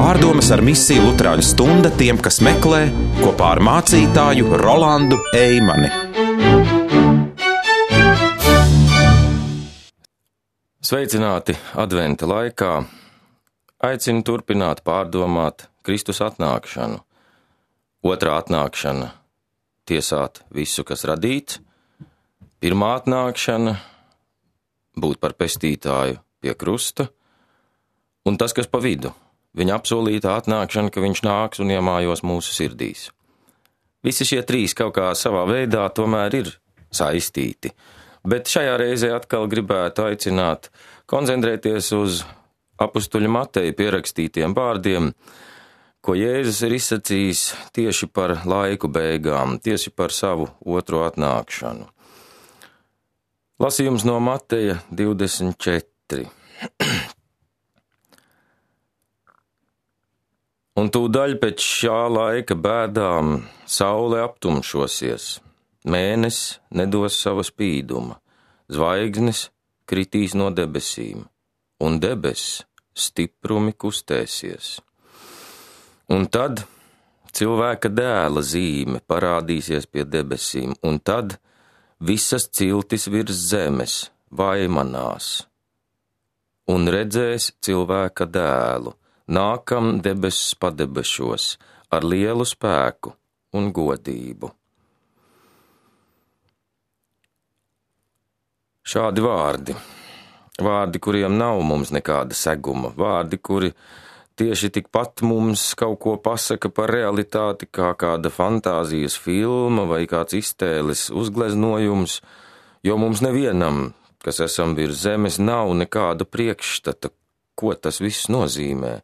Pārdomas ar misiju Luterāņu stunda tiem, kas meklē, kopā ar mācītāju Rolandu Eimani. Sveicināti adventa laikā. Aicinu turpināt pārdomāt Kristus atnākšanu. Otrā atnākšana – tiesāt visu, kas radīts. Pirmā atnākšana – būt par pestītāju pie krusta. Un tas, kas pa vidu – viņa apsolītā atnākšana, ka viņš nāks un iemājos mūsu sirdīs. Visi šie trīs kaut kā savā veidā tomēr ir saistīti. Bet šajā reizē atkal gribētu aicināt koncentrēties uz apustuļa Mateja pierakstītiem vārdiem, ko Jēzus ir izsacījis tieši par laiku beigām, tieši par savu otro atnākšanu. Lasījums no Mateja 24. Un tūdaļ pēc šā laika bēdām saule aptumšosies, mēnesis nedos sava spīduma, zvaigznes kritīs no debesīm, un debesis stiprumi kustēsies. Un tad cilvēka dēla zīme parādīsies pie debesīm, un tad visas ciltis virs zemes vaimanās, un redzēs cilvēka dēlu, nākam debesis padebešos ar lielu spēku un godību. Šādi vārdi, kuriem nav mums nekāda seguma, vārdi, kuri tieši tikpat mums kaut ko pasaka par realitāti, kā kāda fantāzijas filma vai kāds iztēles uzgleznojums, jo mums nevienam, kas esam virs zemes, nav nekāda priekšstata, ko tas viss nozīmē.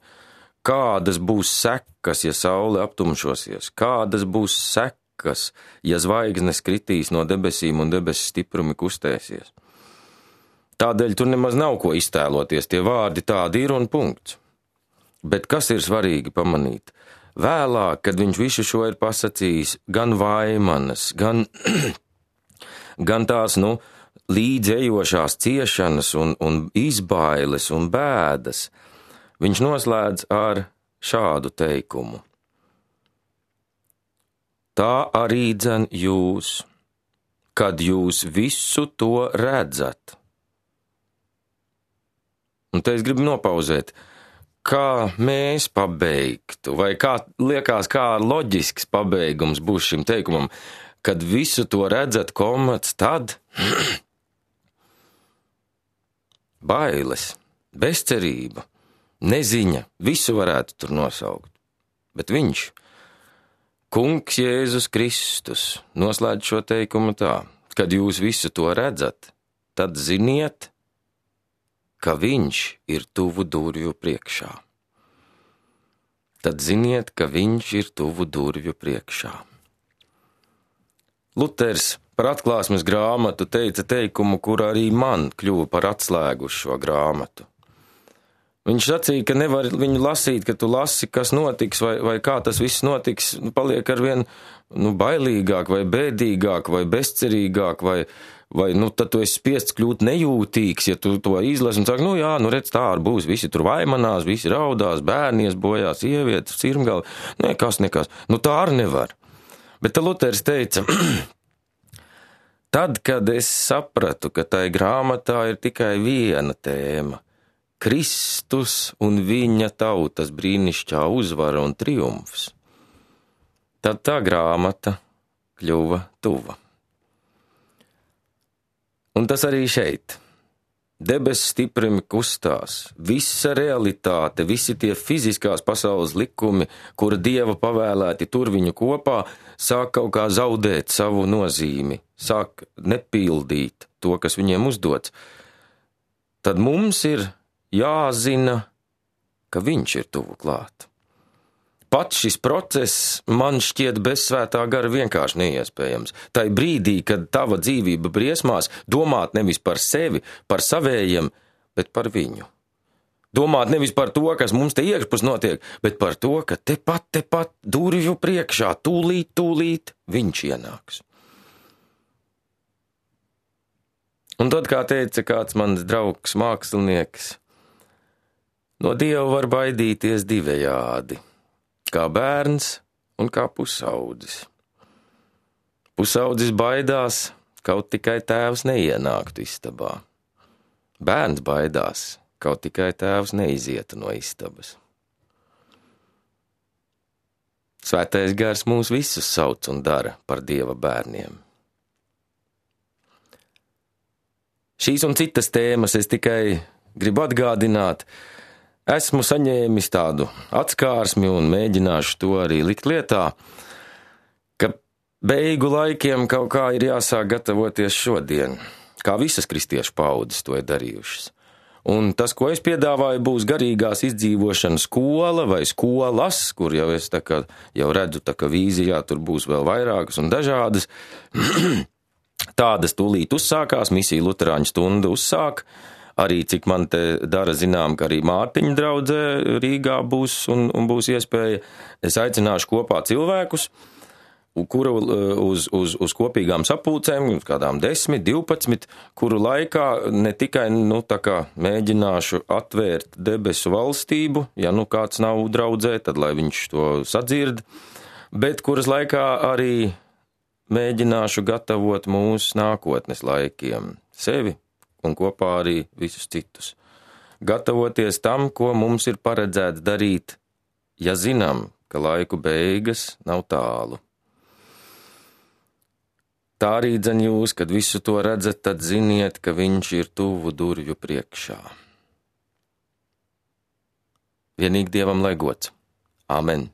Kādas būs sekas, ja saule aptumšosies? Kādas būs sekas, ja zvaigznes kritīs no debesīm un debesis stiprumi kustēsies? Tādēļ tur nemaz nav ko iztēloties, tie vārdi tādi ir un punkts. Bet kas ir svarīgi pamanīt? Vēlāk, kad viņš visu šo ir pasacījis, gan vaimanas, gan tās, līdzējošās ciešanas un izbailes un bēdas, viņš noslēdz ar šādu teikumu. Tā arī dzen jūs, kad jūs visu to redzat. Un te es gribu nopauzēt, kā mēs pabeigtu, vai kā liekas, kā loģisks pabeigums būs šim teikumam, kad visu to redzat, tad bailes, bezcerība, neziņa, visu varētu tur nosaukt. Bet viņš, Kungs Jēzus Kristus, noslēdz šo teikumu tā, kad jūs visu to redzat, tad ziniet, ka viņš ir tuvu durvju priekšā. Tad ziniet, ka viņš ir tuvu durvju priekšā. Luters par atklāsmes grāmatu teica teikumu, kur arī man kļuva par atslēgu uz šo grāmatu. Viņš sacīja, ka nevar viņu lasīt, ka tu lasi, kas notiks, vai kā tas viss notiks, paliek arvien bailīgāk, vai bēdīgāk, vai bezcerīgāk, vai tad tu esi spiests kļūt nejūtīgs, ja tu to izlasi un saki, redz, tā arī būs, visi tur vaimanās, visi raudās, bērnies bojās, sievietes, cirmgali, nekas, tā arī nevar. Bet Luters teica, tad, kad es sapratu, ka tai grāmatā ir tikai viena tēma – Kristus un viņa tautas brīnišķā uzvara un triumfs, tad tā grāmata kļuva tuva. Un tas arī šeit. Debesis stiprumi kustās, visa realitāte, visi tie fiziskās pasaules likumi, kura Dieva pavēlēti tur viņu kopā, sāk kaut kā zaudēt savu nozīmi, sāk nepildīt to, kas viņiem uzdots. Tad mums ir jāzina, ka viņš ir tuvu klāt. Pats šis process man šķiet bez svētā gara vienkārši neiespējams. Tai brīdī, kad tava dzīvība briesmās, domāt nevis par sevi, par savējiem, bet par viņu. Domāt nevis par to, kas mums te iekšpus notiek, bet par to, ka tepat durvju priekšā, tūlīt viņš ienāks. Un tad, kā teica kāds mans draugs mākslinieks, No Dieva var baidīties divējādi, kā bērns un kā pusaudzis. Pusaudzis baidās, kaut tikai tēvs neienāktu istabā. Bērns baidās, kaut tikai tēvs neizietu no istabas. Svētais gars mūs visus sauc un dara par Dieva bērniem. Šīs un citas tēmas es tikai gribu atgādināt. Esmu saņēmis tādu atskārsmi un mēģināšu to arī likt lietā, ka beigu laikiem kaut kā ir jāsāk gatavoties šodien, kā visas kristiešu paudzes to ir darījušas. Un tas, ko es piedāvāju, būs garīgās izdzīvošanas skola vai skolas, kur jau es jau redzu, ka vīzijā tur būs vēl vairākas un dažādas. Tādas tūlīt uzsākās, misija Luterāņu stunda uzsāk. Arī, cik man te dara zinām, ka arī Mārtiņa draudzē Rīgā būs un būs iespēja. Es aicināšu kopā cilvēkus, kuru uz kopīgām sapulcēm, kādām 10, 12, kuru laikā ne tikai, mēģināšu atvērt debesu valstību, ja kāds nav draudzē, tad lai viņš to sadzird, bet kuras laikā arī mēģināšu gatavot mūsu nākotnes laikiem, sevi un kopā arī visus citus. Gatavoties tam, ko mums ir paredzēts darīt, ja zinām, ka laiku beigas nav tālu. Tā arī dzen jūs, kad visu to redzat, tad ziniet, ka viņš ir tuvu durvju priekšā. Vienīgi Dievam lai gods. Amen.